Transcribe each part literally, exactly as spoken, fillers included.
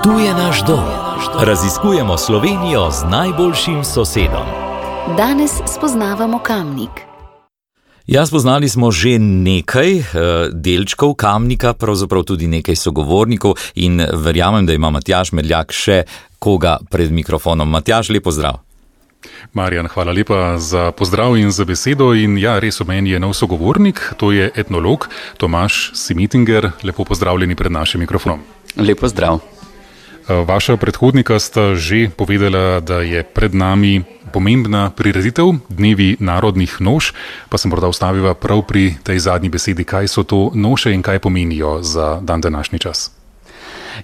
Tu je naš dom. Raziskujemo Slovenijo z najboljšim sosedom. Danes spoznavamo Kamnik. Ja, spoznali smo že nekaj delčkov Kamnika, pravzaprav tudi nekaj sogovornikov in verjamem, da ima Matjaž Medljak še koga pred mikrofonom. Matjaž, lep pozdrav. Marjan, hvala lepa za pozdrav in za besedo. In ja, res v meni je nov sogovornik, to je etnolog Tomaž Simitinger. Lepo pozdravljeni pred našim mikrofonom. Lep pozdrav. Vaša predhodnika sta že povedala, da je pred nami pomembna prireditev, Dnevi narodnih noš, pa sem morda ustavila prav pri tej zadnji besedi, kaj so to noše in kaj pomenijo za dan današnji čas.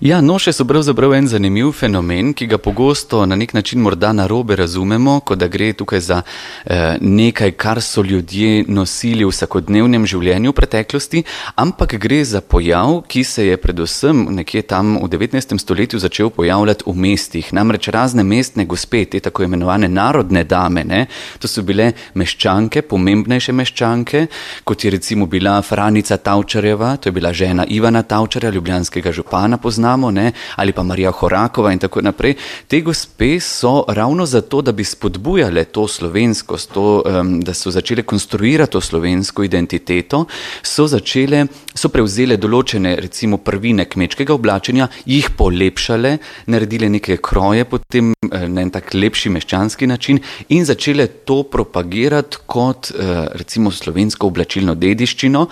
Ja, noše so pravzaprav en zanimiv fenomen, ki ga pogosto na nek način morda narobe razumemo, kot da gre tukaj za eh, nekaj, kar so ljudje nosili v vsakodnevnem življenju v preteklosti, ampak gre za pojav, ki se je predvsem nekje tam v devetnajstem stoletju začel pojavljati v mestih. Namreč razne mestne gospe, te tako imenovane narodne dame, ne, to so bile meščanke, pomembnejše meščanke, kot je recimo bila Franica Tavčarjeva, to je bila žena Ivana Tavčarja, ljubljanskega župana poznamo, ne, ali pa Marija Horakova in tako naprej. Te gospe so ravno zato, da bi spodbujale to slovenskost, to, um, da so začele konstruirati to slovensko identiteto, so začele, so prevzele določene recimo prvine kmečkega oblačenja, jih polepšale, naredile neke kroje potem na en tak lepši meščanski način in začele to propagirati kot recimo slovensko oblačilno dediščino.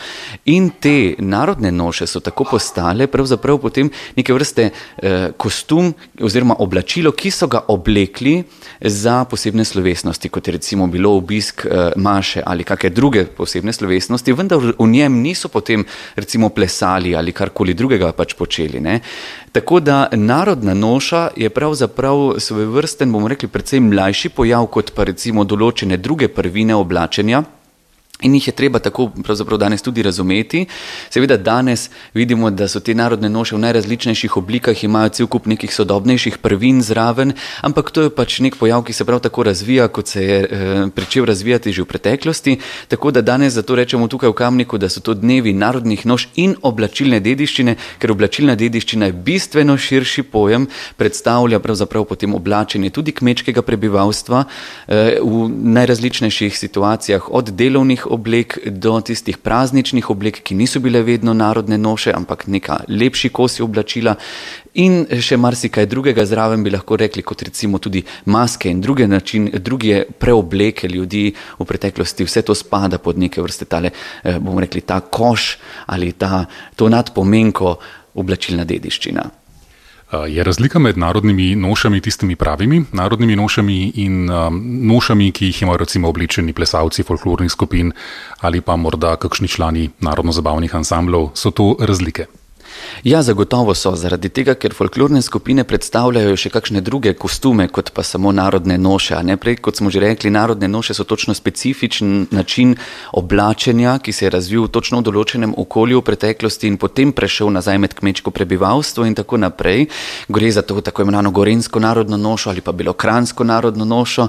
In te narodne noše so tako postale pravzaprav potem neke vrste eh, kostum oziroma oblačilo, ki so ga oblekli za posebne slovesnosti, kot je recimo bilo obisk eh, maše ali kakšne druge posebne slovesnosti, vendar v njem niso potem recimo plesali ali karkoli drugega pač počeli. Ne. Tako da narodna noša je pravzaprav svojevrsten, bomo rekli, precej mlajši pojav kot pa recimo določene druge prvine oblačenja. In jih je treba tako pravzaprav danes tudi razumeti. Seveda danes vidimo, da so te narodne noše v najrazličnejših oblikah, imajo cel kup nekih sodobnejših prvin zraven, ampak to je pač nek pojav, ki se prav tako razvija, kot se je eh, pričel razvijati že v preteklosti. Tako da danes zato rečemo tukaj v Kamniku, da so to dnevi narodnih noš in oblačilne dediščine, ker oblačilna dediščina je bistveno širši pojem, predstavlja pravzaprav potem oblačenje tudi kmečkega prebivalstva eh, v najrazličnejših situacijah, od delovnih oblek do tistih prazničnih oblek, ki niso bile vedno narodne noše, ampak neka lepši kosi oblačila in še marsikaj drugega zraven bi lahko rekli, kot recimo tudi maske in druge način, druge preobleke ljudi v preteklosti. Vse to spada pod neke vrste tale, bomo rekli, ta koš ali ta, to nadpomenko oblačilna dediščina. Je razlika med narodnimi nošami, tistimi pravimi narodnimi nošami in um, nošami, ki jih imajo recimo oblečeni plesalci folklornih skupin ali pa morda kakšni člani narodno-zabavnih ansamblov, so to razlike? Ja, zagotovo so, zaradi tega, ker folklorne skupine predstavljajo še kakšne druge kostume, kot pa samo narodne noše. A ne prej, kot smo že rekli, narodne noše so točno specifičen način oblačenja, ki se je razvil točno v določenem okolju v preteklosti in potem prešel nazaj med kmečko prebivalstvo in tako naprej. Gre za to tako imenovano gorenjsko narodno nošo ali pa belokranjsko narodno nošo.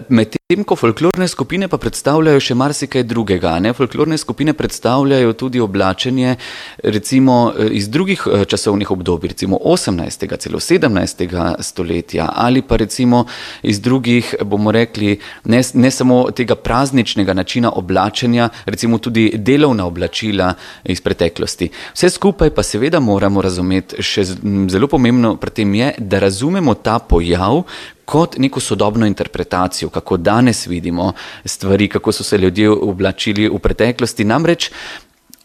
Medtem ko folklorne skupine pa predstavljajo še marsikaj drugega. Ne? Folklorne skupine predstavljajo tudi oblačenje recimo iz drugih časovnih obdobij, recimo osemnajstega, celo sedemnajstega stoletja ali pa recimo iz drugih, bomo rekli, ne, ne samo tega prazničnega načina oblačenja, recimo tudi delovna oblačila iz preteklosti. Vse skupaj pa seveda moramo razumeti, še zelo pomembno pri tem je, da razumemo ta pojav kot neko sodobno interpretacijo, kako danes vidimo stvari, kako so se ljudje oblačili v preteklosti. Namreč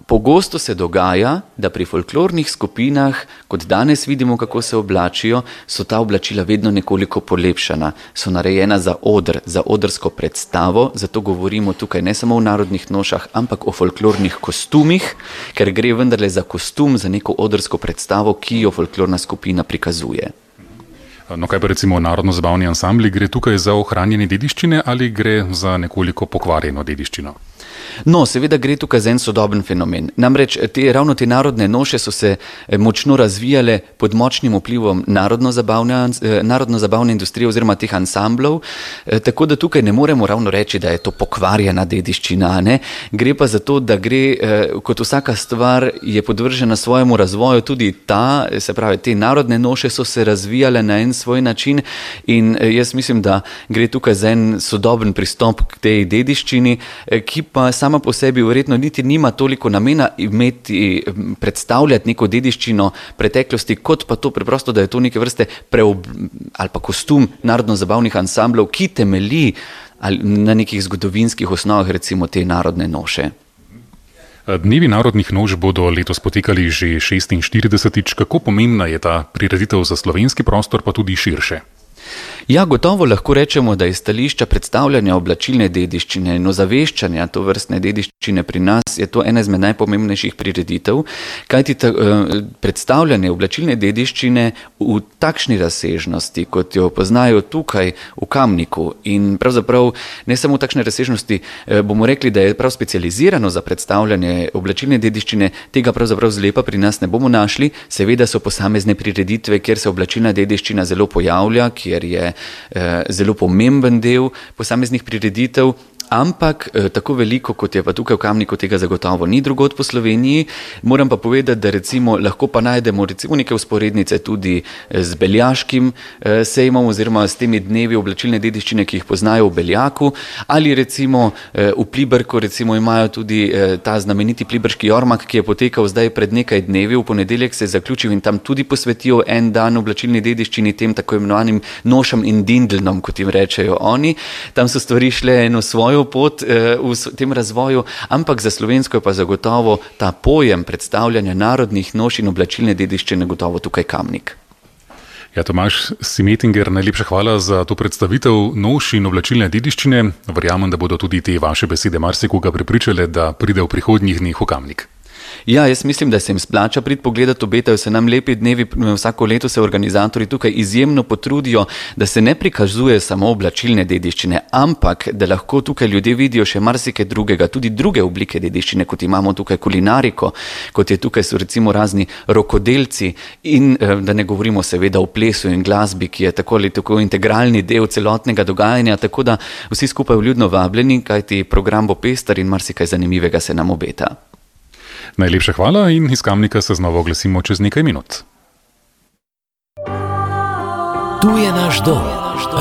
pogosto se dogaja, da pri folklornih skupinah, kot danes vidimo, kako se oblačijo, so ta oblačila vedno nekoliko polepšana, so narejena za oder, za odrsko predstavo, zato govorimo tukaj ne samo o narodnih nošah, ampak o folklornih kostumih, ker gre vendarle za kostum, za neko odrsko predstavo, ki jo folklorna skupina prikazuje. No, kaj pa recimo narodno-zabavni ansambli, gre tukaj za ohranjanje dediščine ali gre za nekoliko pokvarjeno dediščino? No, seveda gre tukaj za en sodoben fenomen. Namreč te, ravno te narodne noše so se močno razvijale pod močnim vplivom narodno-zabavne, narodno-zabavne industrije oziroma teh ansamblov, tako da tukaj ne moremo ravno reči, da je to pokvarjena dediščina, ne? Gre pa za to, da gre, kot vsaka stvar je podvržena svojemu razvoju, tudi ta, se pravi, te narodne noše so se razvijale na en svoj način in jaz mislim, da gre tukaj za en sodoben pristop k tej dediščini, ki pa sama po sebi verjetno niti nima toliko namena imeti, predstavljati neko dediščino preteklosti, kot pa to preprosto, da je to neke vrste preob, ali pa kostum narodno-zabavnih ansamblov, ki temelji na nekih zgodovinskih osnovah, recimo te narodne noše. Dnevi narodnih noš bodo letos potekali že šestinštiridesetič. Kako pomembna je ta prireditev za slovenski prostor, pa tudi širše? Ja, gotovo lahko rečemo, da iz stališča predstavljanja oblačilne dediščine in ozaveščanja to vrstne dediščine pri nas je to ena izmed najpomembnejših prireditev, kajti ta, predstavljanje oblačilne dediščine v takšni razsežnosti, kot jo poznajo tukaj v Kamniku in pravzaprav ne samo v takšne razsežnosti, bomo rekli, da je prav specializirano za predstavljanje oblačilne dediščine, tega pravzaprav zlepa pri nas ne bomo našli. Seveda so posamezne prireditve, kjer se oblačilna dediščina zelo pojavlja, kjer je zelo pomemben del posameznih prireditev, ampak tako veliko, kot je pa tukaj v Kamniku, tega zagotovo ni drugod po Sloveniji. Moram pa povedati, da recimo lahko pa najdemo recimo neke vzporednice tudi z beljaškim sejmom oziroma s temi dnevi oblačilne dediščine, ki jih poznajo v Beljaku, ali recimo v Pliberku recimo imajo tudi ta znameniti pliberški jormak, ki je potekal zdaj pred nekaj dnevi, v ponedeljek se je zaključil in tam tudi posvetijo en dan oblačilni dediščini, tem tako imenovanim nošam in dindlnom, kot jim rečejo oni. Tam so stvari šle eno svojo pot v tem razvoju, ampak za slovensko je pa zagotovo ta pojem predstavljanja narodnih noš in oblačilne dediščine gotovo tukaj Kamnik. Ja, Tomaž Simetinger, najlepša hvala za to predstavitev noš in oblačilne dediščine. Verjamem, da bodo tudi te vaše besede marsikoga prepričale, da pride v prihodnjih dneh v Kamnik. Ja, jaz mislim, da se jim splača priti pogledati, obetajo se nam lepi dnevi, vsako leto se organizatorji tukaj izjemno potrudijo, da se ne prikazuje samo oblačilne dediščine, ampak da lahko tukaj ljudje vidijo še marsikaj drugega, tudi druge oblike dediščine, kot imamo tukaj kulinariko, kot je tukaj so recimo razni rokodelci in da ne govorimo seveda o plesu in glasbi, ki je tako ali tako integralni del celotnega dogajanja, tako da vsi skupaj vljudno vabljeni, kajti program bo pester in marsikaj zanimivega se nam obeta. Najlepša hvala in iz Kamnika se znova oglasimo čez nekaj minut. Tu je naš dom.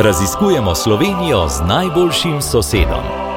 Raziskujemo Slovenijo z najboljšim sosedom.